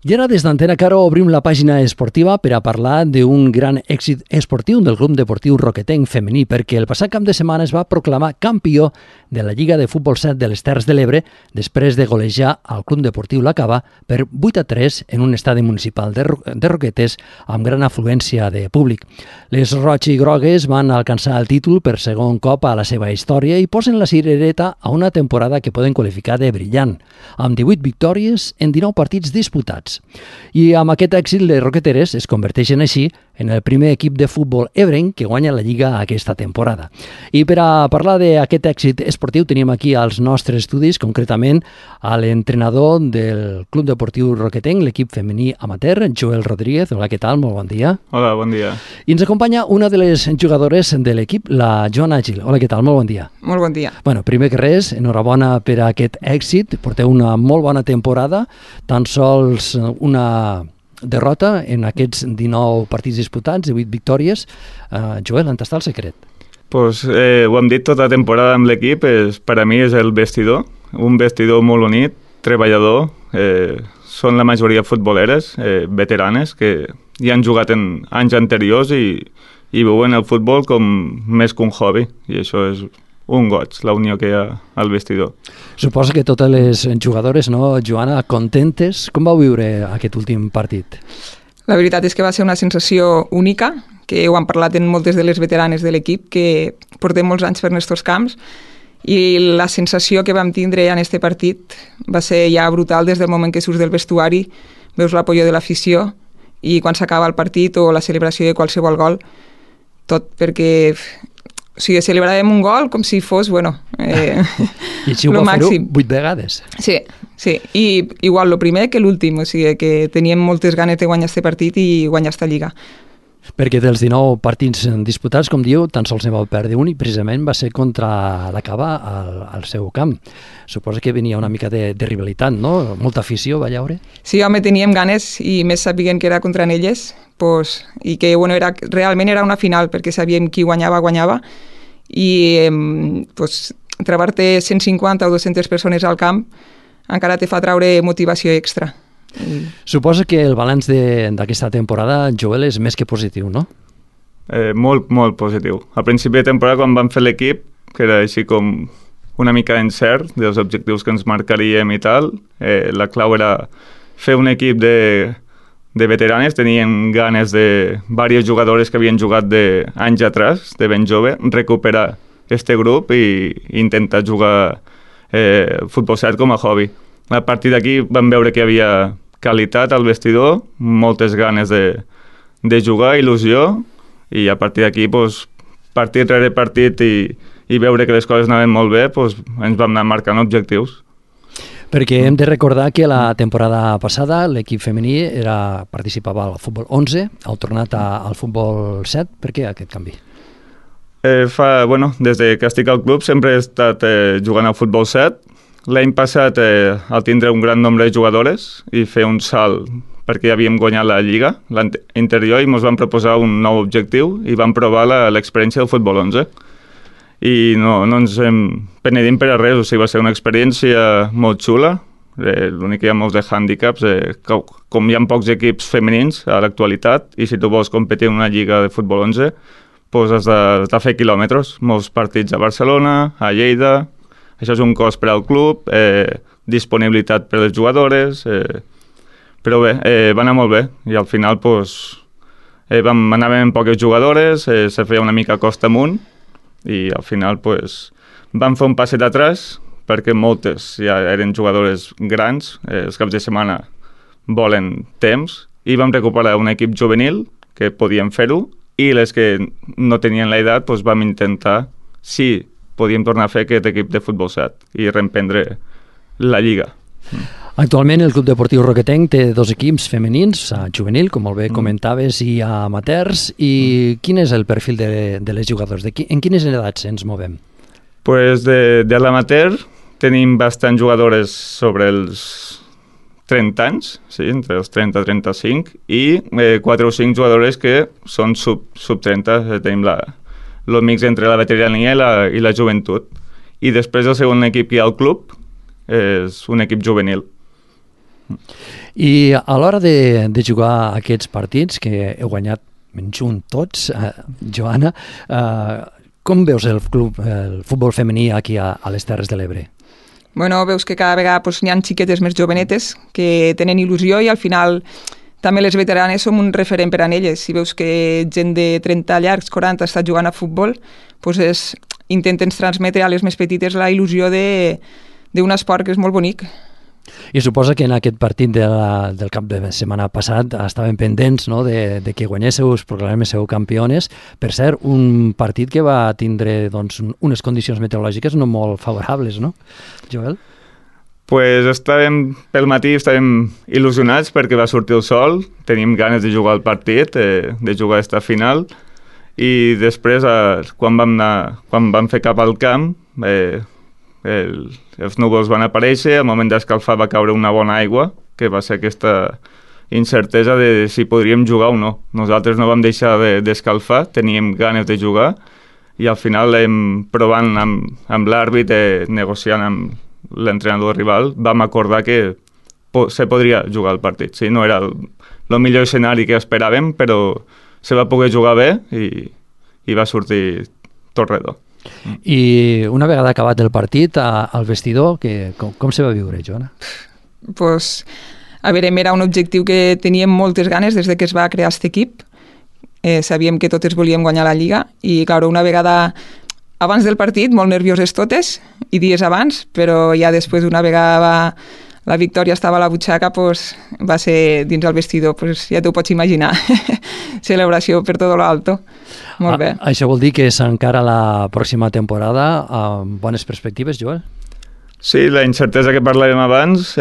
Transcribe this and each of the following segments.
I ara des d'Antena Caro obrim la pàgina esportiva per a parlar d'un gran èxit esportiu del Club Deportiu Roquetenc femení, perquè el passat cap de setmana es va proclamar campió de la Lliga de Futbol 7 de les Terres de l'Ebre després de golejar al Club Deportiu La Cava per 8-3 en un estadi municipal de Roquetes amb gran afluència de públic. Les roig i grogues van alcançar el títol per segon cop a la seva història i posen la cirereta a una temporada que poden qualificar de brillant, amb 18 victòries en 19 partits disputats. I amb aquest èxit les roqueteres es converteixen així en el primer equip de futbol ebrenc que guanya la Lliga aquesta temporada. I per a parlar d'aquest èxit esportiu tenim aquí als nostres estudis, concretament a l'entrenador del Club Deportiu Roquetenc, l'equip femení amateur, Joel Rodríguez. Hola, què tal? Molt bon dia. Hola, bon dia. I ens acompanya una de les jugadores de l'equip, la Joana Gil. Hola, què tal? Molt bon dia. Molt bon dia. Bueno, primer que res, enhorabona per a aquest èxit. Porteu una molt bona temporada, tan sols una derrota en aquests 19 partits disputats, 18 victòries. Joel, on està el secret? Pues, ho hem dit tota la temporada amb l'equip, per a mi és el vestidor, un vestidor molt unit, treballador, són la majoria futboleres, veteranes, que ja han jugat en anys anteriors i veuen el futbol com més que un hobby, i això és un goig, la unió que hi ha al vestidor. Suposo que totes les jugadores, no, Joana, contentes. Com vau viure aquest últim partit? La veritat és que va ser una sensació única, que ho han parlat en moltes de les veteranes de l'equip, que portem molts anys per estos camps, i la sensació que vam tindre en este partit va ser ja brutal des del moment que surts del vestuari, veus l'apoyo de l'afició, i quan s'acaba el partit o la celebració de qualsevol gol, tot perquè... O sigui, celebràvem un gol com si fos, bueno, I així ho va fer-ho 8 vegades. Sí, sí. I igual el primer que l'últim, o sigui, que teníem moltes ganes de guanyar aquest partit i guanyar aquesta lliga. Perquè dels 19 partits disputats, com diu, tan sols ne vau perdre un i precisament va ser contra la Cava al seu camp. Suposo que venia una mica de rivalitat, no? Molta afició, va llaure? Sí, home, teníem ganes i més sabien que era contra elles, pues, i que bueno, realment era una final perquè sabíem qui guanyava i pues, trobar-te 150 o 200 persones al camp encara te fa traure motivació extra. Suposo que el balanç d'aquesta temporada, Joel, és més que positiu, no? Molt, molt positiu. A principi de temporada, quan vam fer l'equip, que era així com una mica incert dels objectius que ens marcaríem i tal, la clau era fer un equip de veteranes, tenien ganes de diverses jugadores que havien jugat d'anys atrás, de ben jove, recuperar este grup i intentar jugar futbol 7 com a hobby. A partir d'aquí vam veure que hi havia qualitat al vestidor, moltes ganes de jugar, il·lusió, i a partir d'aquí, pues, partit rere partit i veure que les coses anaven molt bé, pues, ens vam anar marcant objectius. Perquè hem de recordar que la temporada passada l'equip femení participava al futbol 11, heu tornat al futbol 7. Per què aquest canvi? Des que estic al club sempre he estat jugant al futbol 7. L'any passat, al tindre un gran nombre de jugadores i fer un salt perquè ja havíem guanyat la Lliga, l'interior, i ens van proposar un nou objectiu i vam provar l'experiència del futbol 11. I no ens penedim per a res, o sigui, va ser una experiència molt xula. L'únic que hi ha molts de hàndicaps, com hi ha pocs equips femenins a l'actualitat, i si tu vols competir en una lliga de futbol 11, doncs has de fer quilòmetres, molts partits a Barcelona, a Lleida. Això és un cost per al club, disponibilitat per a les jugadores, però bé, va anar molt bé, i al final anàvem amb poques jugadores, se feia una mica costa amunt, i al final vam fer un passet atrás, perquè moltes ja eren jugadores grans, els caps de setmana volen temps, i vam recuperar un equip juvenil que podíem fer-ho, i les que no tenien l'edat vam intentar, sí, podíem tornar a fer aquest equip de futbol 7 i reemprendre la Lliga. Actualment el Club Deportiu Roquetenc té 2 equips femenins, juvenil, com molt bé comentaves, i amateurs. I quin és el perfil de les jugadores? En quines edats ens movem? De l'amateur tenim bastants jugadores sobre els 30 anys, sí, entre els 30 i 35, i 4 o 5 jugadores que són sub 30, tenim el mix entre la veterania i la joventut. I després el segon equip que hi ha al club és un equip juvenil. I a l'hora de jugar aquests partits, que heu guanyat menys un tots, Joana, com veus el futbol femení aquí a les Terres de l'Ebre? Bueno, veus que cada vegada n'hi ha xiquetes més jovenetes que tenen il·lusió i al final també les veteranes som un referent per a elles. Si veus que gent de 30 llargs, 40 està jugant a futbol, doncs intenten transmetre a les més petites la il·lusió d'un esport que és molt bonic. I suposa que en aquest partit del cap de setmana passat estaven pendents, no?, de que guanyéssiu, us proclaméssiu campiones. Per cert, un partit que va tindre doncs, unes condicions meteorològiques no molt favorables, no, Joel? Pues estàvem, pel matí estàvem il·lusionats perquè va sortir el sol, teníem ganes de jugar el partit, de jugar esta final, i després, quan vam fer cap al camp, els núvols van aparèixer, al moment d'escalfar va caure una bona aigua, que va ser aquesta incertesa de si podríem jugar o no. Nosaltres no vam deixar d'escalfar, teníem ganes de jugar, i al final, provant amb l'àrbit, negociant amb l'entrenador rival, vam acordar que se podria jugar el partit. Sí, no era el millor escenari que esperàvem, però se va poder jugar bé i va sortir tot redó. I una vegada acabat el partit, al vestidor, com se va viure, Joana? Pues, a veure, era un objectiu que teníem moltes ganes des que es va crear aquest equip. Sabíem que totes volíem guanyar la Lliga i, clar, una vegada abans del partit, molt nervioses totes i dies abans, però ja després, una vegada la victòria estava a la butxaca, pues, va ser dins el vestidor, pues, ja t'ho pots imaginar. Celebració per tot l'alto. Molt bé. Això vol dir que s'encara la pròxima temporada amb bones perspectives, Joel? Sí, la incertesa que parlàvem abans,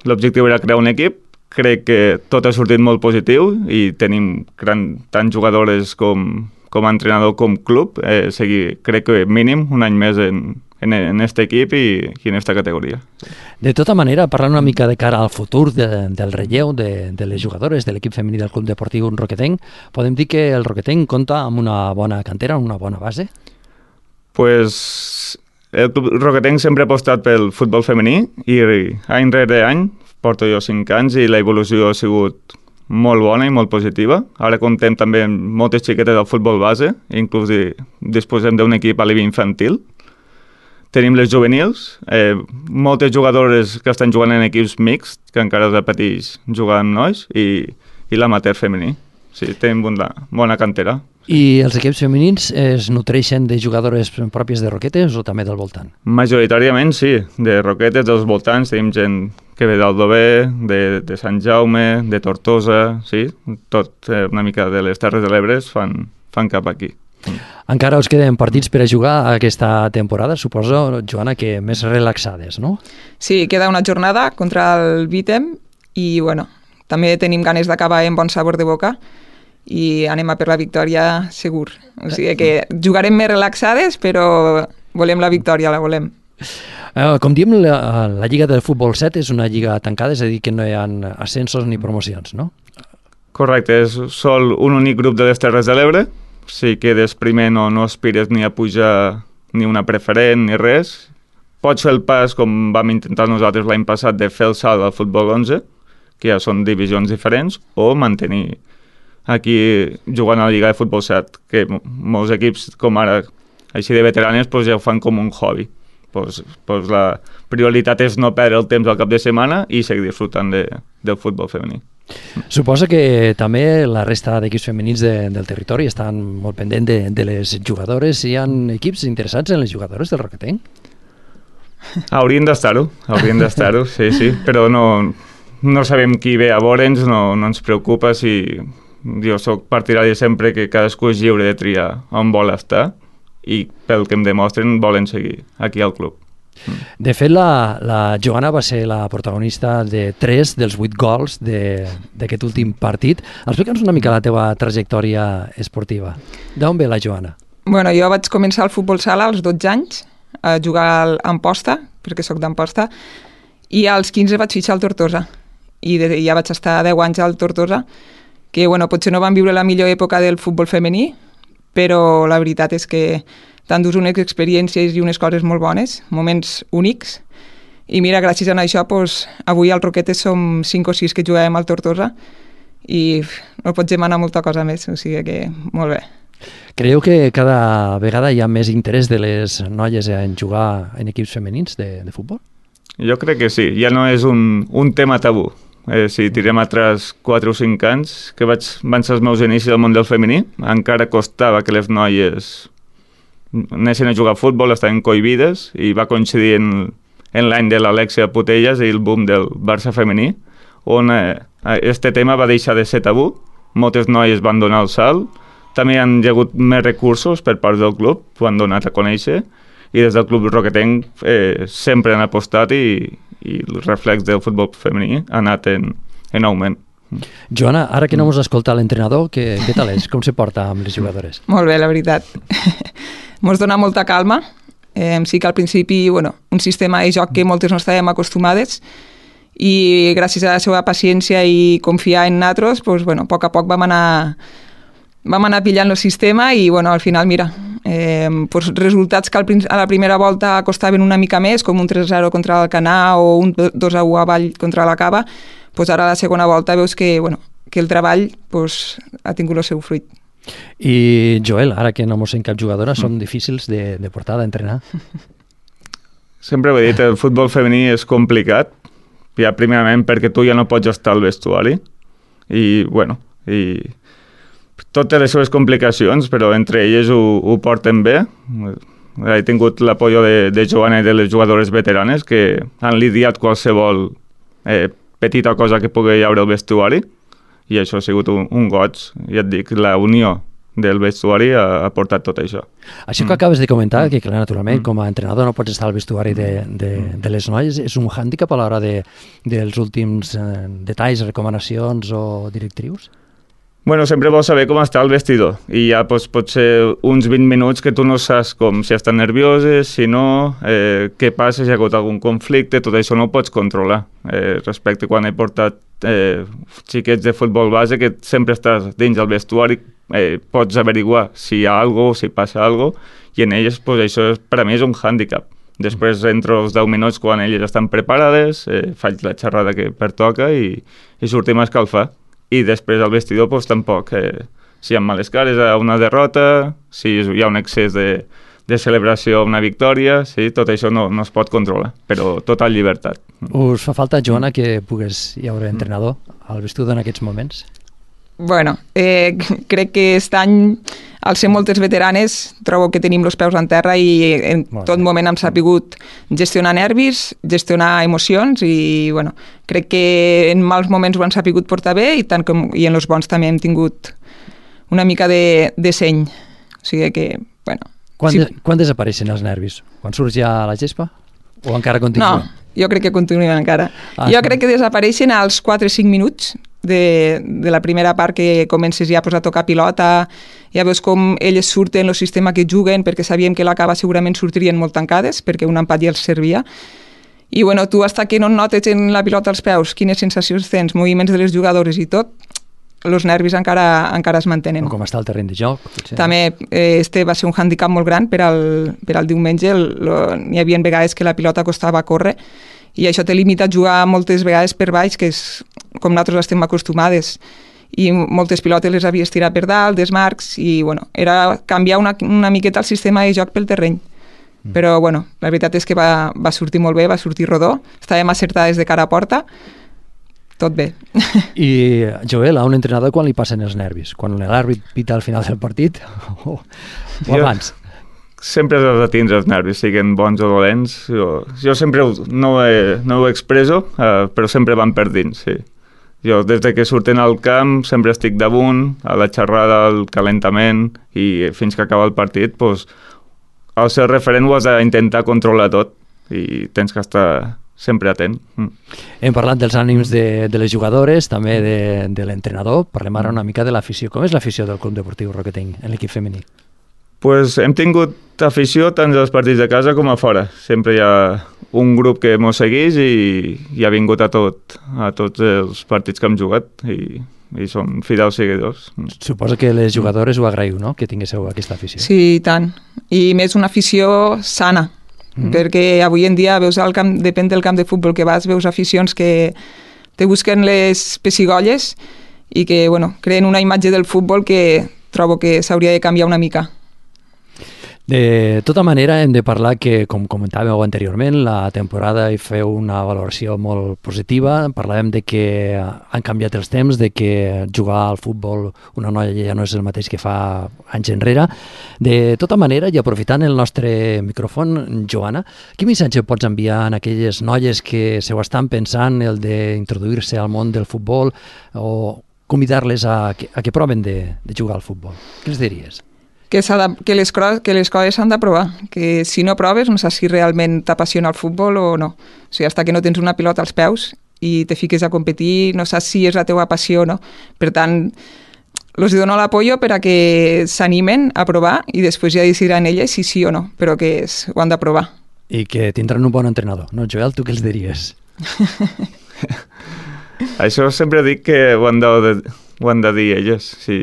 l'objectiu era crear un equip. Crec que tot ha sortit molt positiu i tenim tant jugadores com entrenador com club. Crec que mínim un any més en este equip i en esta categoria. De tota manera, parlant una mica de cara al futur del relleu de les jugadores de l'equip femení del Club Deportiu Roquetenc, podem dir que el Roquetenc compta amb una bona cantera, una bona base? Pues el Club Roquetenc sempre ha apostat pel futbol femení i any rere any, porto jo 5 anys i l'evolució ha sigut molt bona i molt positiva. Ara comptem també amb moltes xiquetes del futbol base, inclús disposem d'un equip a l'EVI infantil. Tenim les juvenils, moltes jugadores que estan jugant en equips mixts, que encara es repeteix jugar amb nois, i l'amateur femení. Sí, tenim una bona cantera. I els equips femenins es nutreixen de jugadores pròpies de Roquetes o també del voltant? Majoritàriament sí, de Roquetes, dels voltants, tenim gent que ve d'Aldover, de Sant Jaume, de Tortosa, sí, tot una mica de les Terres de l'Ebre fan cap aquí. Encara us queden partits per a jugar aquesta temporada, suposo, Joana, que més relaxades, no? Sí, queda una jornada contra el Vitem i, bueno, també tenim ganes d'acabar amb bon sabor de boca i anem a per la victòria segur. O sigui que jugarem més relaxades, però volem la victòria, la volem. Com diem, la Lliga del Futbol 7 és una lliga tancada, és a dir, que no hi ha ascensos ni promocions, no? Correcte, és sol un únic grup de les Terres de l'Ebre. Si quedes primer no aspires ni a pujar ni una preferent ni res. Pots fer el pas, com vam intentar nosaltres l'any passat, de fer el salt al futbol 11, que ja són divisions diferents, o mantenir aquí jugant a la Lliga de Futbol 7, que molts equips com ara, així de veteranes, pues ja ho fan com un hobby. Pues la prioritat és no perdre el temps al cap de setmana i seguir disfrutant del futbol femení. Suposa que també la resta d'equips femenins del territori estan molt pendents de les jugadores. Hi ha equips interessats en les jugadores del Roquetenc? Haurien d'estar-ho, sí, però no sabem qui ve a veure'ns, no ens preocupa. Jo soc partidari sempre que cadascú és lliure de triar on vol estar i pel que em demostren volen seguir aquí al club. De fet, la Joana va ser la protagonista de 3 dels 8 gols d'aquest últim partit. Explica'ns una mica la teva trajectòria esportiva. D'on ve la Joana? Bueno, jo vaig començar al futbol sala als 12 anys, a jugar a Amposta, perquè sóc d'Amposta, i als 15 vaig fitxar al Tortosa. I ja vaig estar 10 anys al Tortosa, que bueno, potser no van viure la millor època del futbol femení, però la veritat és que t'endús unes experiències i unes coses molt bones, moments únics, I mira, gràcies a això, doncs, avui al Roquetes som 5 o 6 que juguem al Tortosa i no pots demanar molta cosa més, o sigui que molt bé. Creieu que cada vegada hi ha més interès de les noies en jugar en equips femenins de futbol? Jo crec que sí, ja no és un tema tabú. Si tirem atrás 4 o 5 anys, que van ser els meus inicis al món del femení, encara costava que les noies anessin a jugar a futbol, estaven cohibides, i va coincidir en l'any de l'Alexia Putellas i el boom del Barça femení, on este tema va deixar de ser tabú, moltes noies van donar el salt, també han hagut més recursos per part del club, ho han donat a conèixer, i des del club roquetenc sempre han apostat i el reflex del futbol femení ha anat en augment. Joana, ara que no mos escolta l'entrenador, què tal és? Com se porta amb les jugadores? Molt bé, la veritat. Mos dona molta calma. Sí que al principi, un sistema de joc que moltes no estàvem acostumades i gràcies a la seva paciència i confiar en nosaltres, a poc a poc vam anar pillant el sistema i al final, mira, resultats que a la primera volta costaven una mica més, com un 3-0 contra l'Alcanar o un 2-1 a Vall contra la Cava, ara a la segona volta veus que el treball ha tingut el seu fruit. I Joel, ara que no mos sent cap jugadora, són difícils de portar, d'entrenar? Sempre ho he dit, el futbol femení és complicat, ja primerament perquè tu ja no pots estar al vestuari i totes les seves complicacions, però entre elles ho porten bé. He tingut l'apoyo de Joana i de les jugadores veteranes que han lidiat qualsevol petita cosa que pugui haure al vestuari i això ha sigut un goig. Ja et dic, la unió del vestuari ha portat tot això. Això que acabes de comentar, que clar, naturalment, com a entrenador no pots estar al vestuari de les noies, és un hàndicap a l'hora dels últims detalls, recomanacions o directrius? Sempre vols saber com està el vestidor i ja pot ser uns 20 minuts que tu no saps si estan nervioses, si no, què passa, si hi ha hagut algun conflicte, tot això no ho pots controlar. Respecte quan he portat xiquets de futbol base, que sempre estàs dins del vestuari, pots averiguar si hi ha alguna cosa, si passa alguna cosa, i en elles això per a mi és un hàndicap. Després entro els 10 minuts quan elles estan preparades, faig la xerrada que pertoca i sortim a escalfar. I després al vestidor tampoc. Si hi ha males cares a una derrota, si hi ha un excés de celebració a una victòria, sí, tot això no es pot controlar, però total llibertat. Us fa falta, Joana, que pugues hi haure entrenador al vestidor en aquests moments? Crec que aquest any, al ser moltes veteranes, trobo que tenim els peus en terra i en tot moment hem sabut gestionar nervis, gestionar emocions i crec que en mals moments ho han sabut portar bé i en els bons també hem tingut una mica de seny. O sigui que, Quan desapareixen els nervis? Quan surts ja a la gespa? O encara continuen? No, jo crec que continuen encara. Jo crec que desapareixen als 4 o 5 minuts de la primera part que comences ja a tocar pilota, ja veus com elles surten el sistema que juguen, perquè sabíem que la Cava segurament sortirien molt tancades, perquè un empat ja els servia. I tu hasta que no notes en la pilota als peus quines sensacions tens, moviments de les jugadores i tot, els nervis encara es mantenen. O com està el terreny de joc. Potser. També este va ser un hàndicap molt gran per al diumenge. N'hi havia vegades que la pilota costava córrer i això te limita a jugar moltes vegades per baix, que és com nosaltres estem acostumades. I moltes pilotes les havies tirat per dalt, desmarcs, i era canviar una miqueta el sistema de joc pel terreny. Però la veritat és que va sortir molt bé, va sortir rodó, estàvem acertades de cara a porta, tot bé. I, Joel, a un entrenador quan li passen els nervis? Quan l'àrbit pita al final del partit o abans? Sempre has de tindre els nervis, siguin bons o dolents. Jo sempre no ho expreso, però sempre van per dins, sí. Jo, des que surten al camp, sempre estic damunt, a la xerrada, al calentament, i fins que acaba el partit, al ser referent ho has d'intentar controlar tot, i tens que estar sempre atent. Hem parlat dels ànims de les jugadores, també de l'entrenador. Parlem ara una mica de l'afició. Com és l'afició del Club Deportiu Roquetenc en l'equip femení? Hem tingut afició tant als partits de casa com a fora. Sempre hi ha un grup que ens segueix i ha vingut a tots els partits que hem jugat i són fidels seguidors. Suposo que les jugadores ho agraïu, no?, que tinguéssiu aquesta afició. Sí, i tant. I més una afició sana, perquè avui en dia veus al camp, depèn del camp de futbol que vas, veus aficions que te busquen les pessigolles i que creen una imatge del futbol que trobo que s'hauria de canviar una mica. De tota manera, hem de parlar que, com comentàveu anteriorment, la temporada hi feu una valoració molt positiva. Parlàvem de que han canviat els temps, de que jugar al futbol una noia ja no és el mateix que fa anys enrere. De tota manera, i aprofitant el nostre micròfon, Joana, quin missatge pots enviar a aquelles noies que se ho estan pensant, el d'introduir-se al món del futbol, o convidar-les a que proven de jugar al futbol? Què els diries? Que les coses s'han de provar, que si no proves no saps si realment t'apassiona el futbol o no. O sigui, fins que no tens una pilota als peus i te fiques a competir, no saps si és la teva passió o no. Per tant, els dono l'apoyo per a que s'animen a provar i després ja decidiran elles si sí o no, però que ho han de provar. I que tindran un bon entrenador, no, Joel? Tu què els diries? Això sempre dic que ho han de dir elles, sí.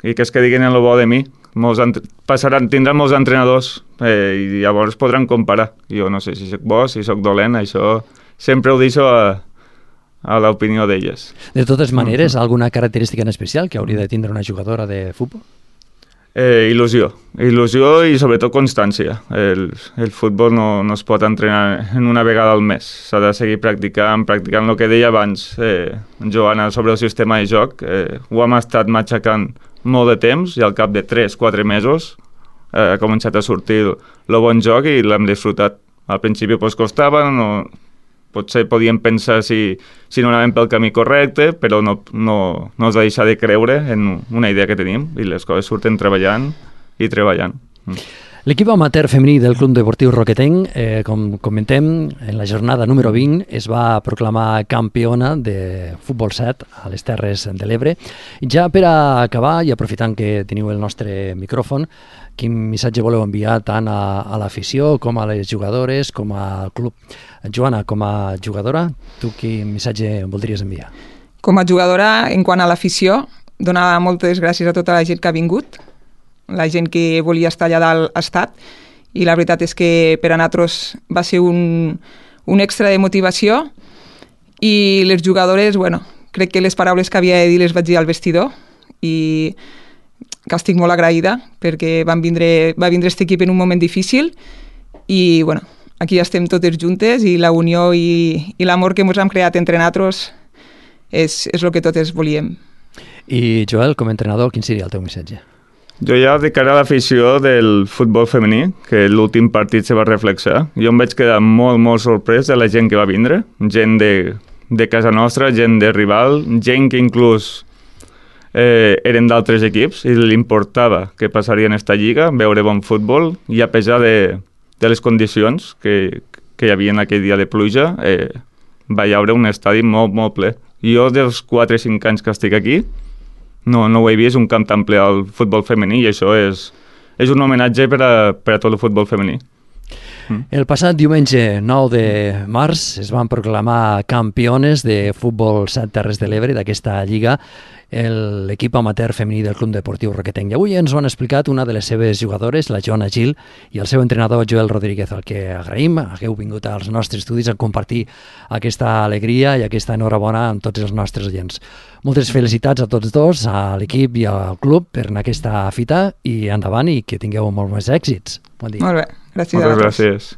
I que és que diguin el bo de mi. Tindran molts entrenadors i llavors podran comparar. Jo no sé si soc bo, si soc dolent, això sempre ho deixo a l'opinió d'elles. De totes maneres, alguna característica en especial que hauria de tindre una jugadora de futbol? Il·lusió i sobretot constància. El futbol no es pot entrenar en una vegada al mes. S'ha de seguir practicant el que deia abans Joana sobre el sistema de joc. Ho hem estat matxacant molt de temps i al cap de 3-4 mesos ha començat a sortir el bon joc i l'hem disfrutat. Al principi costava, potser podíem pensar si no anàvem pel camí correcte, però no has de deixar de creure en una idea que tenim i les coses surten treballant. L'equip amateur femení del Club Deportiu Roquetenc, com comentem, en la jornada número 20 es va proclamar campiona de futbol 7 a les Terres de l'Ebre. Ja per a acabar, i aprofitant que teniu el nostre micròfon, quin missatge voleu enviar tant a l'afició com a les jugadores, com al club? Joana, com a jugadora, tu quin missatge voldries enviar? Com a jugadora, en quant a l'afició, donar moltes gràcies a tota la gent que ha vingut, la gent que volia estar allà dalt ha estat, i la veritat és que per a nosaltres va ser un extra de motivació, i les jugadores, crec que les paraules que havia de dir les vaig dir al vestidor, i que estic molt agraïda, perquè va vindre aquest equip en un moment difícil, i aquí estem totes juntes, i la unió i l'amor que ens hem creat entre nosaltres és el que totes volíem. I Joel, com a entrenador, quin seria el teu missatge? Jo ja de cara a l'afició del futbol femení, que l'últim partit se va reflexar, jo em vaig quedar molt, molt sorprès de la gent que va vindre, gent de casa nostra, gent de rival, gent que inclús eren d'altres equips i li importava que passaria en esta lliga, veure bon futbol, i a pesar de les condicions que hi havia aquell dia de pluja, va hi haure un estadi molt, molt ple. Jo, dels 4 o 5 anys que estic aquí, no ho he vist un camp tan ple al futbol femení, i això és un homenatge per a tot el futbol femení. El passat diumenge 9 de març es van proclamar campiones de futbol 7 Terres de l'Ebre d'aquesta lliga, l'equip amateur femení del Club Deportiu Roquetenc. I avui ens ho han explicat una de les seves jugadores, la Joana Gil, i el seu entrenador Joel Rodríguez, al que agraïm. Hagueu vingut als nostres estudis a compartir aquesta alegria i aquesta enhorabona amb tots els nostres oients. Moltes felicitats a tots dos, a l'equip i al club, per aquesta fita, i endavant, i que tingueu molts més èxits. Bon dia. Molt bé, gràcies. Moltes gràcies.